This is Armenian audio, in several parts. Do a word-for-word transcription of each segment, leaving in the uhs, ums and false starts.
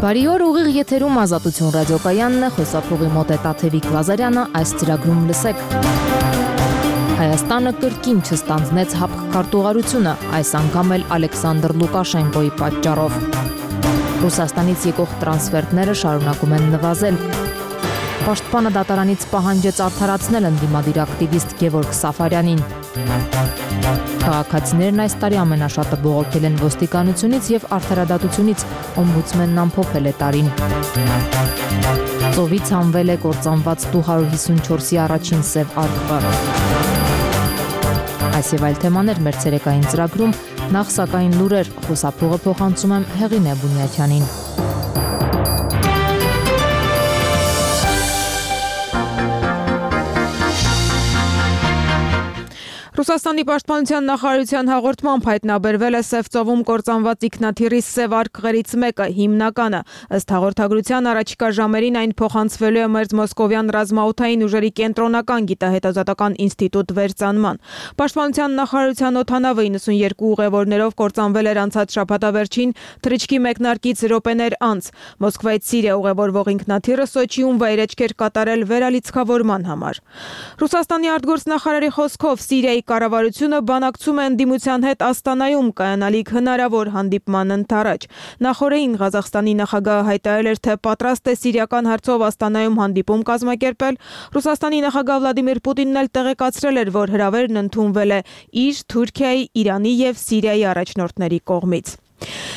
Բարի օր, ուղիղ եթերում Ազատություն ռադիոկայանն է, խոսափողի մոտ է Տաթևիկ Լազարյանը, այս ծրագրում լսեք։ Հայաստանը կրկին չստանձնեց հապկ քարտուղարությունը, այս անգամ էլ Ալեքսանդր Լուկաշենկոյի պատճառով։ Ռուսաստանից եկող տրանսֆերտները շարունակում են նվազել։ Պաշտպանը դատարանից պահանջեց արդարացնել ընդդիմադիր ակտիվիստ Գևորգ Սաֆարյանին։ Քաղաքացիներն այս տարի ամենաշատը բողոքել են ոստիկանությունից եւ արդարադատությունից, օմբուդսմենն ամփոփել է տարին։ Ծովից հանվել է կործանված տու հարյուր հիսունչորսի առաջին սև արկղը։ Այս եւ այլ թեմաներ մեր ցերեկային ծրագրում, նախ սակայն լուրեր, խոսափողը փոխանցում եմ Հեղինե Բունյաթյանին։ Ռուսաստանի պաշտպանության նախարարության հաղորդմամբ հայտնաբերվել է Սև ծովում կործանված ինքնաթիռի սև արկղերից մեկը, հիմնականը։ Ըստ հաղորդագրության առաջիկա ժամերին այն փոխանցվելու է մերձ Մոսկովյան ռազմաօդային ուժերի կենտրոնական գիտահետազոտական ինստիտուտ վերծանման։ Պաշտպանության նախարարության օդանավը իննսունյերկու ուղևորներով կործանվել էր անցած շաբաթավերջին թռիչքի մեկնարկից րոպեներ անց։ Մոսկվայից Սիրիա ուղևորվող ինքնաթիռը Սոչիում վայրէջք էր կատարել վերալիցքավորման համար։ Ռուսաստանի արտգործնախարարի խոսքով Սիրիայի կառավարությունը բանակցում է ընդդիմության հետ Աստանայում կայանալիք հնարավոր հանդիպման ընթരാճ։ Նախորդին Ղազախստանի նախագահը հայտարարել էր, թե պատրաստ է սիրիական հարցով Աստանայում հանդիպում կազմակերպել։ Ռուսաստանի նախագահ Վլադիմիր Պուտինն էլ տեղեկացրել էր, որ հրավերն ընդունվել է իր, Թուրքիայի, Իրանի եւ Սիրիայի առաջնորդների կողմից։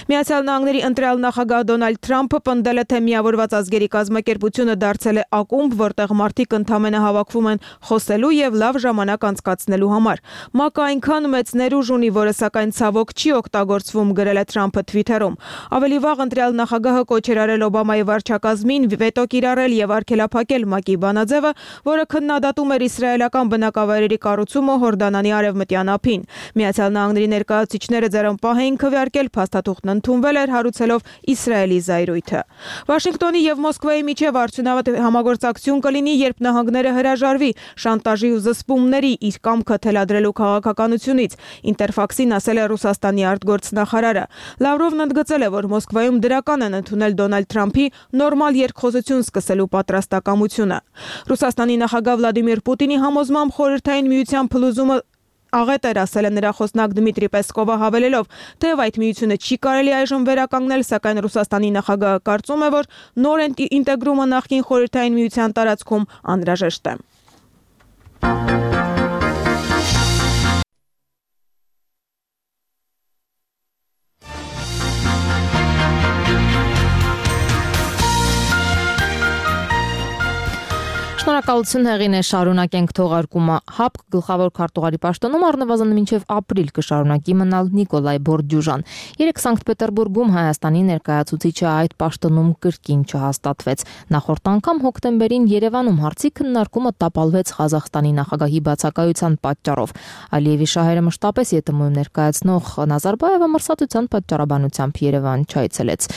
Միացյալ Նահանգների ընտրյալ նախագահ Դոնալդ Թրամփը պնդել է, թե միավորված ազգերի կազմակերպությունը դարձել է ակումբ, որտեղ մարդիկ ընդամենը հավաքվում են խոսելու եւ լավ ժամանակ անցկացնելու համար։ ՄԱԿ-ը այնքան մեծ ներուժ ունի, որը սակայն ցավոք չի օգտագործվում, գրել է Թրամփը Թվիթերում։ Ավելի վաղ ընտրյալ նախագահը կոչ էր արել Օբամայի վարչակազմին վետո կիրառել եւ արգելափակել ՄԱԿ-ի բանաձևը, որը քննադատում էր իսրայելական բնակավայրերի կառուցումը Հորդանանի արևմտյան ափին։ Միացյալ Նահանգների ներկայացուցիչները ձեռնպահ էին քվեարկել, փաստաթուղթն ընդունվել էր հարուցելով Իսրայելի զայրույթը։ Վաշինգտոնի եւ Մոսկվայի միջև արդյունավետ համագործակցություն կլինի, երբ նահանգները հրաժարվի շանտաժի ու զսպումների իր կամքը թելադրելու քաղաքականությունից, Ինտերֆաքսին ասել է Ռուսաստանի արտգործնախարարը։ Լավրովն ընդգծել է, որ Մոսկվայում դրական են ընդունել Դոնալդ Թրամփի նորմալ երկխոսություն սկսելու պատրաստակամությունը։ Ռուսաստանի նախագահ Վլադիմիր Պուտինի համոզմամբ Խորհրդային Միության փլուզումը աղետ էր, ասել է նրա խոսնակ Դմիտրի Պեսկովը, հավելելով, թեև այդ միությունը չի կարելի այժմ վերականգնել, սակայն Ռուսաստանի նախագահը կարծում է, որ նոր ինտեգրումը նախկին Խորհրդային Միության տարածքում անհրաժեշտ է։ Շնորհակալություն Հեղինե, շարունակենք թողարկումը։ ՀԱՊԿ գլխավոր քարտուղարի պաշտոնում առնվազն մինչև ապրիլ կշարունակի մնալ Նիկոլայ Բորդյուժան։ Երեկ Սանկտ Պետերբուրգում Հայաստանի ներկայացուցիչը այդ պաշտոնում կրկին չհաստատվեց։ Նախորդ անգամ հոկտեմբերին Երևանում հարցի քննարկումը տապալվեց Ղազախստանի նախագահի բացակայության պատճառով։ Ալիևի շահերը մշտապես ԵՏՄ-ում ներկայացնող Նազարբաևը մրսատության պատճառաբանությամբ Երևան չայցելեց։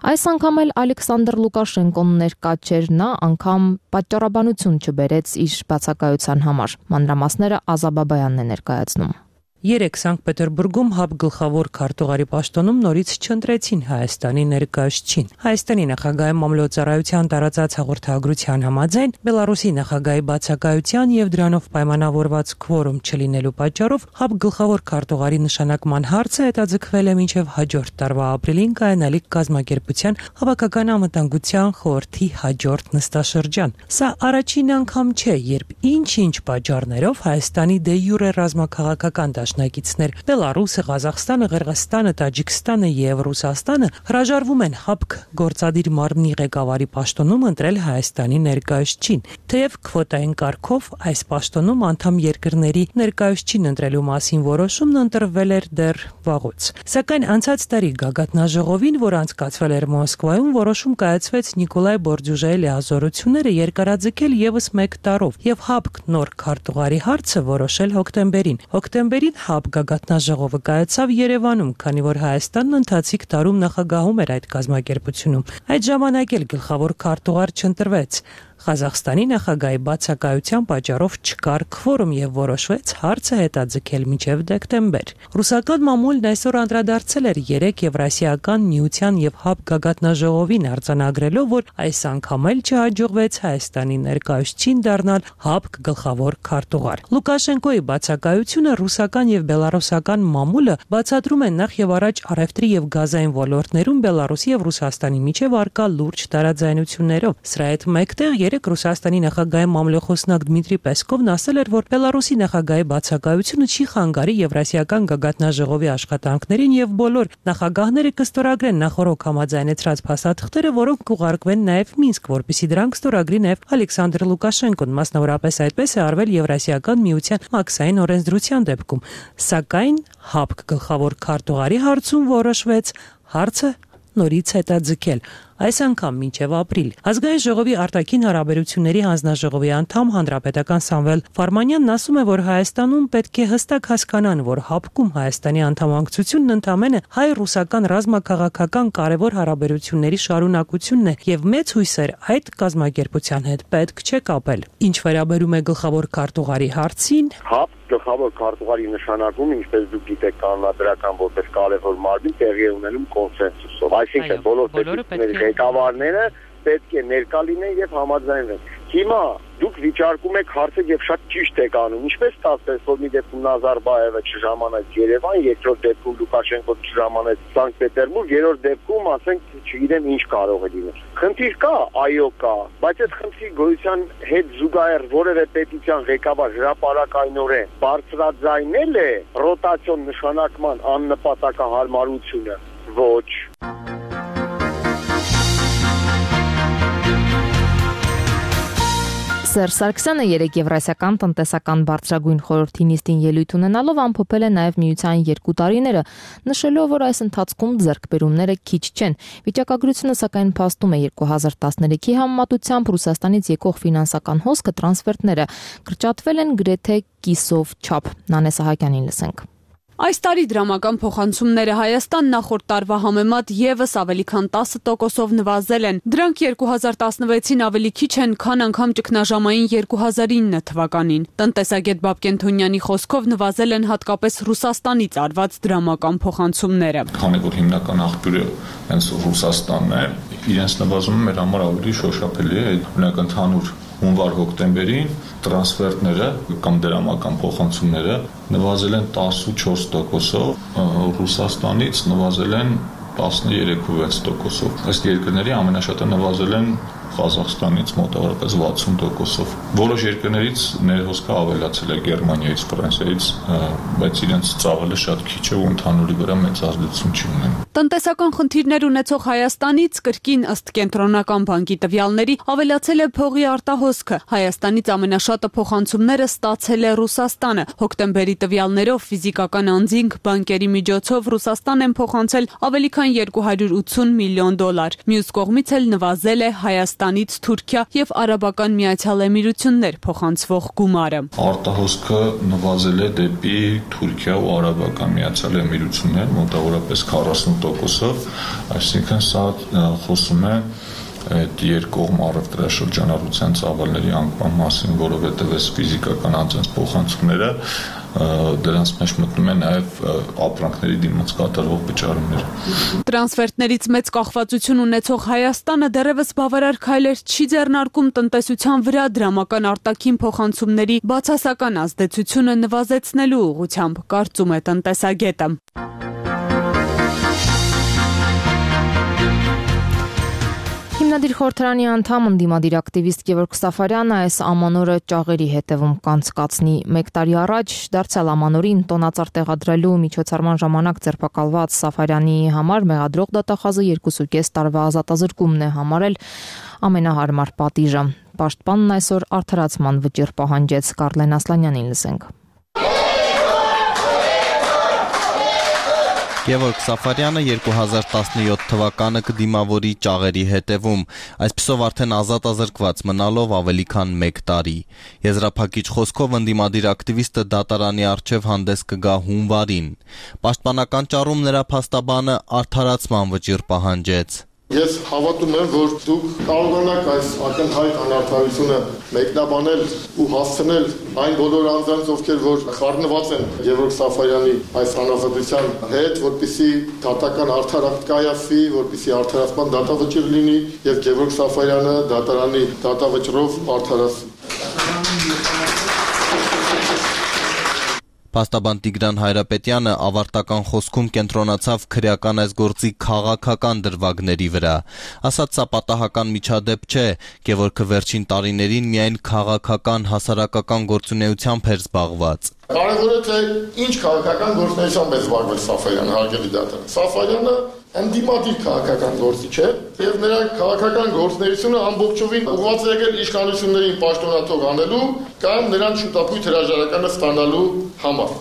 Այս անգամ էլ Ալեքսանդր Լուկաշենկոն ներկա չէր, նա անգամ պատճառաբանություն չբերեց իր բացակայության համար։ Մանրամասները Ազա Բաբայանն է ներկայացնում։ Երեկ Սանկտ Պետերբուրգում ՀԱՊԿ գլխավոր քարտուղարի պաշտոնում նորից չընտրեցին Հայաստանի ներկայացուցիչին։ Հայաստանի նախագահի մամլոյցարայության տարածած հաղորդագրության համաձայն Բելարուսի նախագահի բացակայության եւ դրանով պայմանավորված քվորում չլինելու պատճառով ՀԱՊԿ գլխավոր քարտուղարի նշանակման հարցը հետաձգվել է մինչև հաջորդ տարվա ապրիլին կայանալիք կազմակերպության հավաքական անվտանգության խորհրդի հաջորդ նստաշրջան։ Սա առաջին անգամ չէ, երբ ինչ-ինչ պատճառներով Հայաստանի դե յուրե ռազմաքաղաքական դաշնակիցներ Բելարուսը, Ղազախստանը, Ղրղստանը, Տաջիկստանը եւ Ռուսաստանը հրաժարվում են ՀԱՊԿ գործադիր մարմնի ղեկավարի պաշտոնում ընտրել Հայաստանի ներկայացուցիչին։ Թեև քվոտային կարգով այս պաշտոնում անդամ երկրների ներկայացուցիչին ընտրելու մասին որոշումն ընտրվել էր դեռ վաղուց։ Սակայն անցած տարի գագաթնաժողովին, որ անցկացվել էր Մոսկվայում, որոշում կայացվեց Նիկոլայ Բորդյուժայի լիազորությունները երկարաձգել եւս մեկ տարով եւ ՀԱՊԿ նոր քարտուղարի հարցը որոշել հոկտեմբերին։ Հոկտեմբերին ՀԱՊԿ գագաթնաժողովը կայացավ Երևանում, քանի որ Հայաստանն ընթացիկ տարում նախագահում էր այդ կազմակերպությունում։ Այդ ժամանակ էլ գլխավոր քարտուղար չընտրվեց։ Ղազախստանի նախագահի բացակայության պատճառով չկար քվորում եւ որոշվեց հարցը հետաձգել մինչեւ դեկտեմբեր։ Ռուսական մամուլն այսօր անդրադարձել էր երեք Եվրասիական միության եւ ՀԱԲ գագաթնաժողովին արձանագրելով, որ այս անգամ էլ չհաջողվեց Հայաստանի ներկայացուցիչին դառնալ ՀԱԲ գլխավոր քարտուղար։ Լուկաշենկոյի բացակայությունը ռուսական եւ բելարուսական մամուլը բացատրում են նախ եւ առաջ առևտրի եւ գազային ոլորտներում Բելարուսի եւ Ռուսաստանի միջեւ արկա լուրջ տարաձայնություններով։ Սրա հետ մեկտեղ երեք Ռուսաստանի նախագահի մամլոխոսնակ Դմիտրի Պեսկովն ասել էր, որ Բելարուսի նախագահի բացակայությունը չի խանգարի Եվրասիական գագաթնաժողովի աշխատանքներին եւ բոլոր նախագահները կստորագրեն նախորոք համաձայնեցրած փաստաթղթերը, որոնք կուղարկվեն նաեւ Մինսկ, որպեսզի դրանք ստորագրի նաեւ Ալեքսանդր Լուկաշենկոն, մասնավորապես այդպես է արվել Եվրասիական միության մաքսային օրենսդրության դեպքում։ Սակայն ՀԱԲ գլխավոր քարտուղարի հարցում որոշվեց հարցը նորից հետաձգել, այս անգամ մինչև ապրիլ։ Ազգային ժողովի արտաքին հարաբերությունների հանձնաժողովի անդամ հանրապետական Սամվել Ֆարմանյանն ասում է, որ Հայաստանում պետք է հստակ հասկանան, որ ՀԱԲ-ում Հայաստանի անդամակցությունն ընդամենը հայ-ռուսական ռազմաքաղաքական կարևոր հարաբերությունների շարունակությունն է եւ մեծ հույսեր այդ կազմակերպության հետ պետք չէ կապել։ Ինչ վերաբերում է գլխավոր քարտուղարի հարցին, ՀԱԲ գլխավոր քարտուղարի նշանակում, ինչպես դուք գիտեք, կանոնադրական որպես կարևոր մարմին տեղի է ունենում կոնսենսուսով, այսինքն բոլոր պետությունների ղեկավարները պետք է ներկա լինեն եւ համաձայնվեն։ Հիմա դուք վիճարկում եք հարցը եւ շատ ճիշտ եք անում, ինչպես ստացվեց, որ մի դեպքում Նազարբաևը չժամանեց Երևան, երկրորդ դեպքում Լուկաշենկոն չժամանեց Սանկտ Պետերբուրգ, երրորդ դեպքում, ասենք, չգիտեմ ինչ կարող է լինել։ Խնդիր կա, այո կա, բայց այդ խնդրի գոյության հետ զուգահեռ որևէ պետության ղեկավար հրապարակայնորեն բարձրաձայնել է ռոտացիոն նշանակման աննպատակահարմարությունը, ոչ։ Սերժ Սարգսյանը երեք Եվրասիական տնտեսական բարձրագույն խորհրդի նիստին ելույթ ունենալով ամփոփել է նաև միության երկու տարիները, նշելով, որ այս ընթացքում ձեռքբերումները քիչ չեն։ Վիճակագրությունը սակայն փաստում է երկու հազար տասներեքի համեմատությամբ Ռուսաստանից եկող ֆինանսական հոսքը տրանսֆերտները կրճատվել են գրեթե կիսով չափ։ Նանե Սահակյանին լսենք։ Այս տարի դրամական փոխանցումները Հայաստան նախորդ տարվա համեմատ եւս ավելի քան տասը տոկոսով նվազել են։ Դրանք երկու հազար տասնվեցին ավելի քիչ են, քան անգամ ճգնաժամային երկու հազար ինը թվականին։ Տնտեսագետ Բաբկեն Թոնյանի խոսքով նվազել են հատկապես Ռուսաստանից արված դրամական փոխանցումները։ Քանի որ հիմնական աղբյուրը հենց Ռուսաստանն է, իրենց նվազումը մեր համար ավելի շոշափելի է, օրինակ ընդհանուր հունվար-հոկտեմբերին տրանսֆերտները կամ դրամական փոխանցումները նվազել են տասնուչորս տոկոսով, Ռուսաստանից նվազել են տասներեք տոկոսով։ Ըստ երկրների ամենաշատը նվազել են Ղազախստանից մոտավորապես վաթսուն տոկոսով։ Որոշ երկրներից ներհոսքը ավելացել է Գերմանիայից, Ֆրանսիայից, բայց իրենց ծավալը շատ քիչ է ու ընդհանուրի վրա մեծ ազդեցություն չի ունենում։ Տնտեսական խնդիրներ ունեցող Հայաստանից կրկին ըստ Կենտրոնական բանկի տվյալների ավելացել է փողի արտահոսքը։ Հայաստանից ամենաշատը փոխանցումները ստացել է Ռուսաստանը։ Հոկտեմբերի տվյալներով ֆիզիկական անձինք բանկերի միջոցով Ռուսաստան են փոխանցել ավելի քան երկու հարյուր ութսուն միլիոն դոլար։ Մյուս կողմից էլ նվազել է Հայաստանից Թուրքիա եւ Արաբական Միացյալ Էմիրություններ փոխանցվող գումարը։ Արտահոսքը նվազել է դեպի Թուրքիա ու Արաբական Միացյալ Էմիրություններ մոտավորապես քառասուն տոկոսով, այսինքն սա խոսում է այդ երկկողմ առևտրաշրջանառության ծավալների անկման մասին, որովհետև այս ֆիզիկական անձանց փոխանցումները դրանց մեջ մտնում են նաև ապրանքների դիմաց կատարվող վճարումներ։ Տրանսֆերտներից մեծ կախվածություն ունեցող Հայաստանը դեռևս բավարար քայլեր չի ձեռնարկում տնտեսության վրա դրամական արտաքին փոխանցումների բացասական ազդեցությունը նվազեցնելու ուղղությամբ, կարծում է տնտեսագետը։ Հիմնադիր խորհրդարանի անդամ ընդդիմադիր ակտիվիստ Գևորգ Սաֆարյանը այս ամանորը ճաղերի հետևում կանցկացնի։ Մեկ տարի առաջ դարձյալ ամանորին տոնածառ տեղադրելու միջոցառման ժամանակ ձերբակալված Սաֆարյանի համար մեղադրող դատախազը երկուսուկես տարվա ազատազրկումն է համարել ամենահարմար պատիժը։ Պաշտպանն այսօր արդարացման վճիռ պահանջեց։ Կարլեն Ասլանյանին լսենք։ Գևորգ Սաֆարյանը երկու հազար տասնյոթ թվականը կդիմավորի ճաղերի հետևում, այսպիսով արդեն ազատազրկված մնալով ավելի քան մեկ տարի։ Եզրափակիչ խոսքով ընդդիմադիր ակտիվիստը դատարանի առջև հանդես կգա հունվարին։ Պաշտպանական ճառում նրա փաստաբանը արդարացման վճիռ պահանջեց։ Ես հավատում եմ, որ դուք կարողանաք այս ակնհայտ անարդարությունը մեկնաբանել ու հասցնել այն բոլոր անձանց, ովքեր որ խառնված են Գևորգ Սաֆարյանի այս անազատության հետ, որպեսզի դատական արդարացում կայացվի, որպեսզի արդարացման դատավճիռ լինի եւ Գևորգ Սաֆարյանը դատարանի դատավճռով արդարացվի։ Փաստաբան Տիգրան Հայրապետյանը ավարտական խոսքում կենտրոնացավ քրեական այս գործի քաղաքական դրվագների վրա։ Ասաց, սա պատահական միջադեպ չէ, Գևորգը վերջին տարիներին միայն քաղաքական հասարակական գործունեությամբ էր զբաղված։ Կարևորը թե ինչ քաղաքական գործունեությամբ է զբաղվել Սաֆարյանը, հարգելի դատան։ Սաֆարյանը ընդդիմադիր քաղաքական գործիչ է եւ նրա քաղաքական գործունեությունը ամբողջովին ուղղված է եկել իշխանություններին պաշտոնաթող անելու կամ նրանց շուտապույտ հրաժարականը ստանալու համար։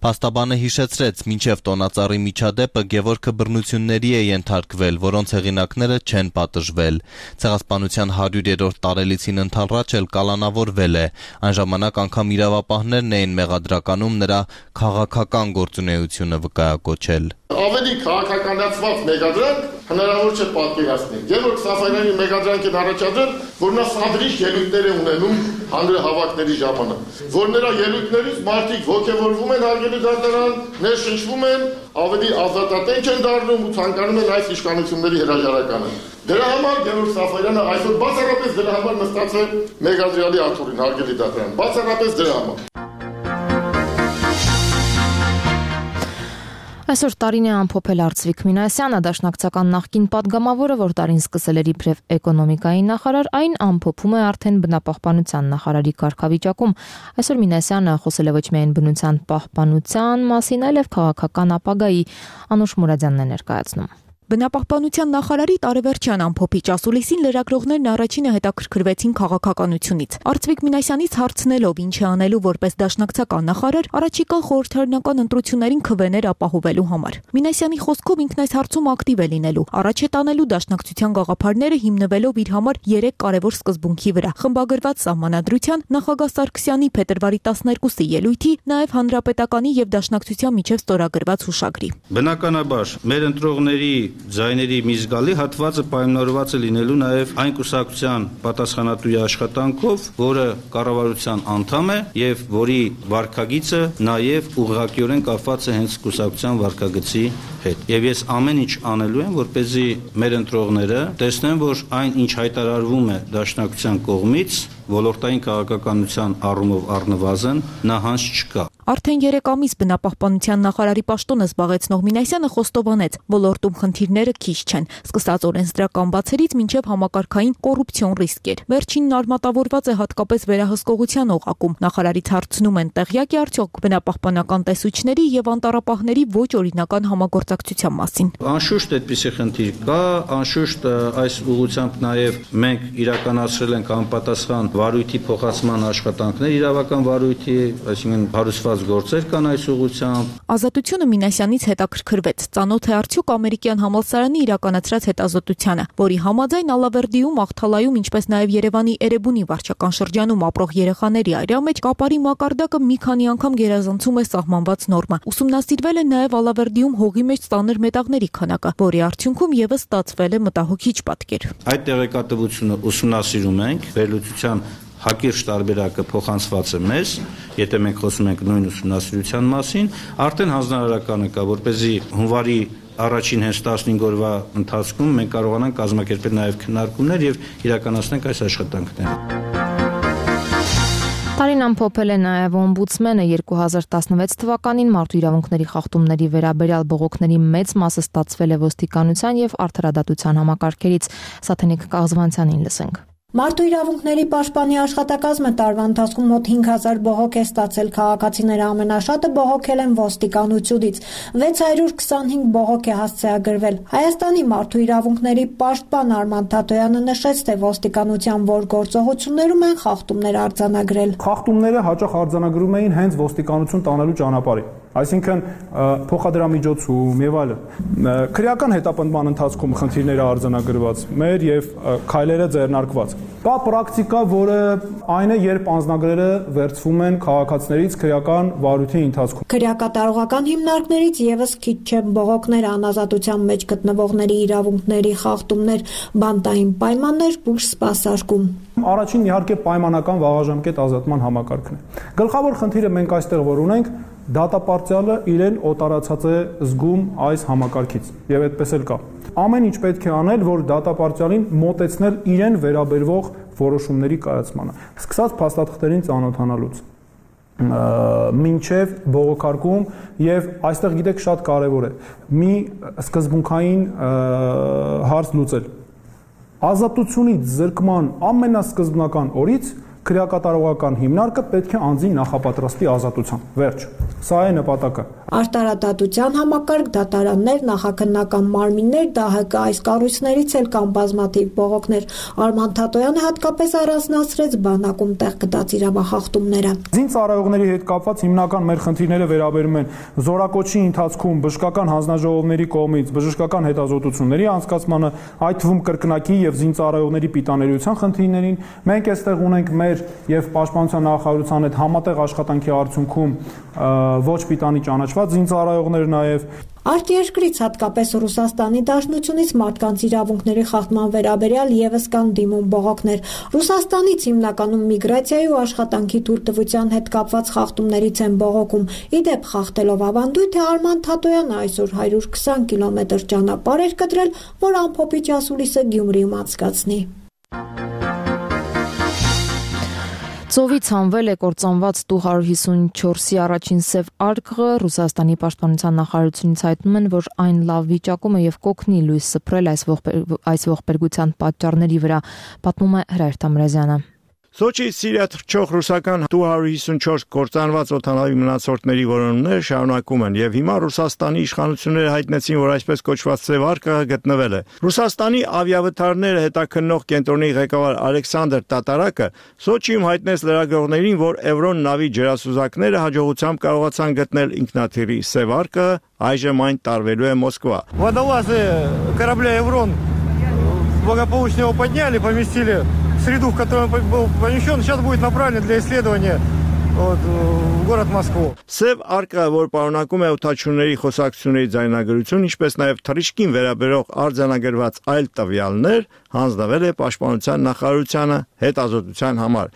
Փաստաբանը հիշեցրեց, մինչև տոնածառի միջադեպը Գևորգը բռնությունների է ենթարկվել, որոնց հեղինակները չեն պատժվել։ Ցեղասպանության հարյուրերորդ տարելիցին ընդառաջ էլ կալանավորվել է։ Այն ժամանակ անգամ իրավապահներն էին մեղադրականում նրա քաղաքական գործունեությունը վկայակոչել։ Ավելի քաղաքականացված մեղադրանք հնարավոր չէ պատկերացնել։ Գևորգ Սաֆարյանի մեղադրանքն առաջադրել, որ նա սադրիչ ելույթներ է ունենում հանրահավաքների ժամանակ, որ նրա ելույթներից մարդիկ ոգևորվում են հարգելի դատարան, ներշնչվում են, ավելի ազատատենչ են դառնում ու ցանկանում են այս իշխանությունների հրաժարականը։ Դրա համար Գևորգ Սաֆարյանը այսօր բացառապես դրա համար նստած է մեղադրյալի աթոռին, հարգելի դատարան, բացառապես դրա համար։ Այսօր տարին է ամփոփել Արծվիկ Մինասյանը, դաշնակցական նախկին падգամավորը, որ տարին սկսել էր իբրև էկոնոմիկայի նախարար, այն ամփոփում է արդեն բնապահպանության նախարարի կարգավիճակում։ Այսօր Մինասյանը խոսել է ոչ միայն բնության պահպանության մասին, այլև քաղաքական ապագայի։ Անուշ Մուրադյանն է ներկայացնում։ Բնապահպանության նախարարի տարեվերջյան ամփոփիչ ասուլիսին լրագրողներն առաջինը հետաքրքրվեցին քաղաքականությունից։ Արծվիկ Մինասյանից հարցնելով ինչ է անելու որպես դաշնակցական նախարար, առաջիկա խորհրդարանական ընտրություններին քվեներ ապահովելու համար։ Մինասյանի խոսքով ինքն այս հարցում ակտիվ է լինելու, առաջ է տանելու դաշնակցության գաղափարները հիմնվելով իր համար երեք կարևոր սկզբունքի վրա՝ խմբագրված սահմանադրության, նախագահ Սարգսյանի փետրվարի տասներկուսի ելույթի, նաև հանրապետականի եւ դաշնակցության միջև ստորագրված հուշագրի։ Բնականաբար մեր ընտրողների ձայների մի զգալի հատվածը պայմանավորված է լինելու նաև այն կուսակցության պատասխանատուի աշխատանքով, որը կառավարության անդամ է եւ որի վարքագիծը նաև ուղղակիորեն կապված է հենց կուսակցության վարքագծի հետ։ Եվ ես ամեն ինչ անելու եմ, որպեսզի մեր ընտրողները տեսնեն, որ այն ինչ հայտարարվում է դաշնակցության կողմից, ոլորտային քաղաքականության առումով առնվազն նահանջ չկա։ Արդեն երեք ամիս բնապահպանության նախարարի պաշտոնը զբաղեցնող Մինասյանը խոստովանեց, ոլորտում խնդիրները քիչ չեն, սկսած օրենսդրական բացերից մինչև համակարգային կոռուպցիոն ռիսկեր։ Վերջինն արմատավորված է հատկապես վերահսկողության օղակում։ Նախարարից հարցնում են, տեղյակ է արդյոք բնապահպանական տեսուչների եւ անտառապահների ոչ օրինական համագործակցության մասին։ Անշուշտ այդպիսի խնդիր կա, անշուշտ այս ուղղությամբ նաև մենք իրականացրել ենք անպատասխան վարույթի փոխացման աշխատանքներ, իրավական վարույթի, այսինքն հարուցված գործեր կան այս ուղղությամբ։ Ազատությունը Մինասյանից հետաքրքրվեց, ծանոթ է արդյոք ամերիկյան համալսարանի իրականացրած հետազոտությանը, որի համաձայն Ալավերդիում, Աղթալայում, ինչպես նաև Երևանի Էրեբունի վարչական շրջանում ապրող երեխաների այրա մեջ կապարի մակարդակը մի քանի անգամ գերազանցում է սահմանված նորմը։ Ուսումնասիրվել է նաև Ալավերդիում հողի մեջ ծանր մետաղների քանակը, որի արդյունքում եւս ստացվել է մտահոգիչ պատկեր։ Այդ տեղեկատվությունը ուսումնասիրում ենք, վերլուծության հակիրճ տարբերակը փոխանցված է մեզ, եթե մենք խոսում ենք նույն ուսումնասիրության մասին, արդեն հանձնարարականը կա, որպեսզի հունվարի առաջին հենց տասնհինգ օրվա ընթացքում մենք կարողանանք կազմակերպել նաև քննարկումներ եւ իրականացնենք այս աշխատանքները։ Տարին ամփոփել է նաև օմբուդսմենը երկու հազար տասնվեց թվականին մարդու իրավունքների խախտումների վերաբերյալ բողոքների մեծ մասը ստացվել է ոստիկանության եւ արդարադատության համակարգերից։ Սաթենիկ Կաղզվանցյանին լսենք։ Մարդու իրավունքների պաշտպանի աշխատակազմը տարվա ընթացքում մոտ հինգ հազար բողոք է ստացել, քաղաքացիները ամենաշատը բողոքել են ոստիկանությունից, վեց հարյուր քսանհինգ բողոք է հասցեագրվել։ Հայաստանի մարդու իրավունքների պաշտպան Արման Թաթոյանը նշեց, թե ոստիկանության որ գործողություններում են խախտումներ արձանագրել։ Խախտումները հաճախ արձանագրում էին հենց ոստիկանություն տանելու ճանապարհին։ այսինքն փոխադրամիջոցում եւ այլն։ Քրեական հետապնդման ընթացքում խնդիրները արձանագրված, մեր եւ քայլերը ձեռնարկված։ Կա պրակտիկա, որը այն է, երբ անձնագրերը վերցվում են քաղաքացիներից քրեական վարույթի ընթացքում։ Քրեակատարողական հիմնարկներից եւս քիչ չեն բողոքներ, անազատության մեջ գտնվողների իրավունքների խախտումներ, բանտային պայմաններ, բուժ սպասարկում։ Առաջին իհարկե պայմանական վաղաժամկետ ազատման համակարգն է։ Գլխավոր խնդիրը մենք այստեղ որ ունենք, դատապարտյալը իրեն օտարացած է զգում այս համակարգից եւ այդպես էլ կա։ Ամեն ինչ պետք է անել, որ դատապարտյալին մոտեցնել իրեն վերաբերվող որոշումների կայացմանը, սկսած փաստաթղթերին ծանոթանալուց մինչև բողոքարկում եւ այստեղ գիտեք շատ կարեւոր է մի սկզբունքային հարց լուծել։ Ազատությունից զրկման ամենասկզբնական օրից քրեակատարողական հիմնարկը պետք է անձի նախապատրաստի ազատության։ Վերջ։ Սա է նպատակը։ Արտարադատության համակարգ, դատարաններ, նախաքննական մարմիններ, ԴՀԿ այս կառույցներից էլ կան բազմաթիվ բողոքներ։ Արման Թատոյանը հատկապես առանձնացրեց բանակում տեղ գտած իրավախախտումները։ Զինծառայողների հետ կապված հիմնական մեր խնդիրները վերաբերում են զորակոչի ընթացքում բժշկական հանձնաժողովների կողմից բժշկական հետազոտությունների անցկացմանը, այդ թվում կրկնակի եւ զինծառայողների պիտաներության խնդիրներին։ Մենք այստեղ ունենք մեր եւ Պաշտպանության նախարարության հետ համատեղ աշխատանքի արդյունքում ոչ պիտանի ճանաչված զինծառայողներ նաեւ Արտերկրից հատկապես Ռուսաստանի Դաշնությունից մարդկանց իրավունքների խախտման վերաբերյալ եւս կան դիմում բողոքներ։ Ռուսաստանից հիմնականում միգրացիայի ու աշխատանքի թույլտվության հետ կապված խախտումներից են բողոքում։ Իդեպ խախտելով ավանդույթը Արման Թատոյանը այսօր հարյուր քսան կիլոմետր ճանապարհ էր կտրել, որ ամփոփիչ ասուլիսը Գյումրիում անցկացնի։ Ծովից հանվել է կործանված տու հարյուր հիսունչորսի առաջին սև արկղը, Ռուսաստանի պաշտպանության նախարարությունից հայտնում են, որ այն լավ վիճակում է եւ կօգնի լույս սփռել այս այս ողբերգության պատճառների վրա, պատմում է Հրայր Թամրազյանը։ Սոչիից Սիրիա թռչող ռուսական տու հարյուր հիսունչորս կործանված օդանավի մնացորդների որոնումները շարունակում են եւ հիմա Ռուսաստանի իշխանությունները հայտնեցին, որ այսպես կոչված սև արկղը գտնվել է։ Ռուսաստանի ավիավթարները հետաքննող կենտրոնի ղեկավար Ալեքսանդր Տատարակը Սոչիում հայտնեց լրագրողներին, որ Էվրոն նավի ջրասուզակները հաջողությամբ կարողացան գտնել ինքնաթիռի սև արկղը, այժմ այն տարվելու է Մոսկվա։ Водолазы корабля Эврон благополучно его подняли, поместили в среду, в которой он был помещен, сейчас будет направлен для исследования вот, в город Москву. Սև արկղը, որ պարունակում է օդաչուների խոսակցությունների ձայնագրություն, ինչպես նաև թռիչքին վերաբերող արձանագրված այլ տվյալներ, հանձնվել է Պաշտպանության նախարարությանը հետազոտության համար։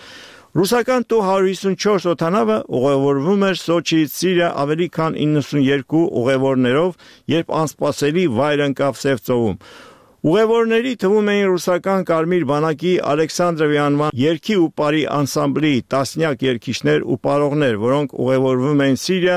Ռուսական տու հարյուր հիսունչորս օդանավը ուղևորվում էր Սոչիից Սիրիա ավելի քան իննսունյոթ ուղևորներով, երբ անսպասելի վայր ընկավ Սև ծովում։ Ուղևորների թվում էին ռուսական Կարմիր բանակի Ալեքսանդրովի անվան երգի ու պարի անսամբլի տասնյակ երգիչներ ու պարողներ, որոնք ուղևորվում էին Սիրիա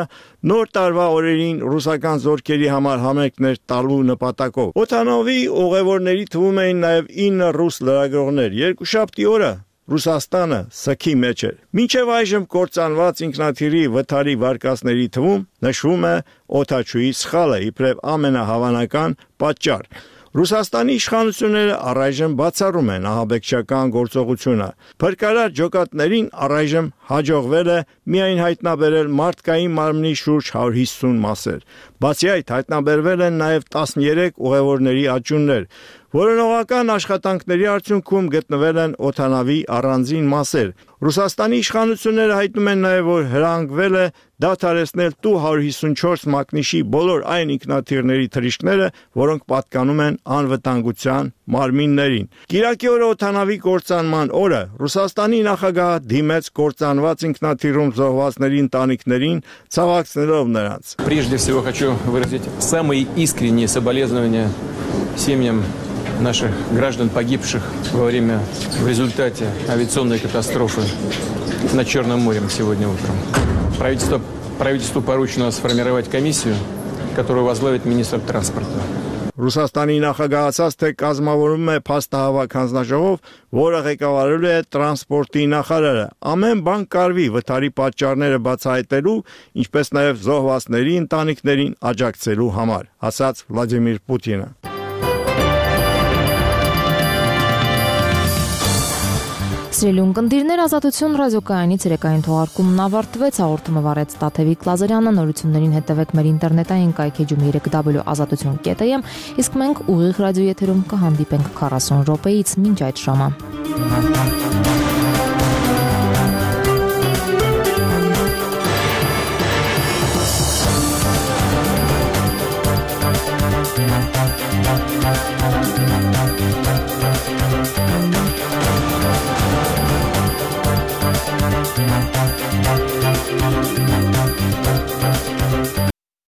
նոր տարվա օրերին ռուսական զորքերի համար համերգներ տալու նպատակով։ Օդանավի ուղևորների թվում էին նաև ինը ռուս լրագրողներ։ Երկուշաբթի օրը Ռուսաստանը սքի մեջ էր։ Մինչև այժմ կործանված ինքնաթիռի վթարի վարկածների թվում նշվում է օդաչուի սխալը, իբրև ամենահավանական պատճառ։ Ռուսաստանի իշխանությունները առայժմ բացառում են ահաբեկչական գործողությունը։ Փրկարար ջոկատներին առայժմ հաջողվել է միայն հայտնաբերել մարդկային մարմնի շուրջ հարյուր հիսուն մասեր։ Բացի այդ, հայտնաբերվել են նաև տասներեք ուղևորների աճյուններ։ Որոնողական աշխատանքների արդյունքում գտնվել են օդանավի առանձին մասեր։ Ռուսաստանի իշխանությունները հայտնում են նաև, որ հրանգվել է դադարեցնել տու հարյուր հիսունչորս մակնիշի բոլոր այն ինքնաթիռների թռիչքները, որոնք պատկանում են անվտանգության մարմիններին։ Կիրակի օրը օդանավի կործանման օրը Ռուսաստանի նախագահը դիմեց կործանված ինքնաթիռում զոհվածների ընտանիքներին, ցավակցելով նրանց։ Прежде всего хочу выразить самые искренние соболезнования семьям наших граждан, погибших во время, в результате авиационной катастрофы над Черным морем сегодня утром. Правительство, правительству поручено сформировать комиссию, которую возглавит министр транспорта. Ռուսաստանի նախագահացած թե կազմավորում է փաստահավաք հանձնաժողով, որը ղեկավարելու է տրանսպորտի նախարարը։ Ամեն բան կարվի վթարի պատճառները բացահայտելու, ինչպես նաև զոհվածների ընտանիքներին աջակցելու համար, ասաց Վլադիմիր Պուտինը։ Սիրելի ունկնդիրներ, Ազատություն ռադիոկայանի ցերեկային թողարկումն ավարտվեց, հաղորդումը վարեց Տաթևիկ Լազարյանը, նորություններին հետևեք մեր ինտերնետային կայքեջում երեք w ազատություն կետ am, իսկ մենք ուղիղ ռադիոեթերում կհանդիպենք քառասուն րոպեից մինչ այդ ժամը։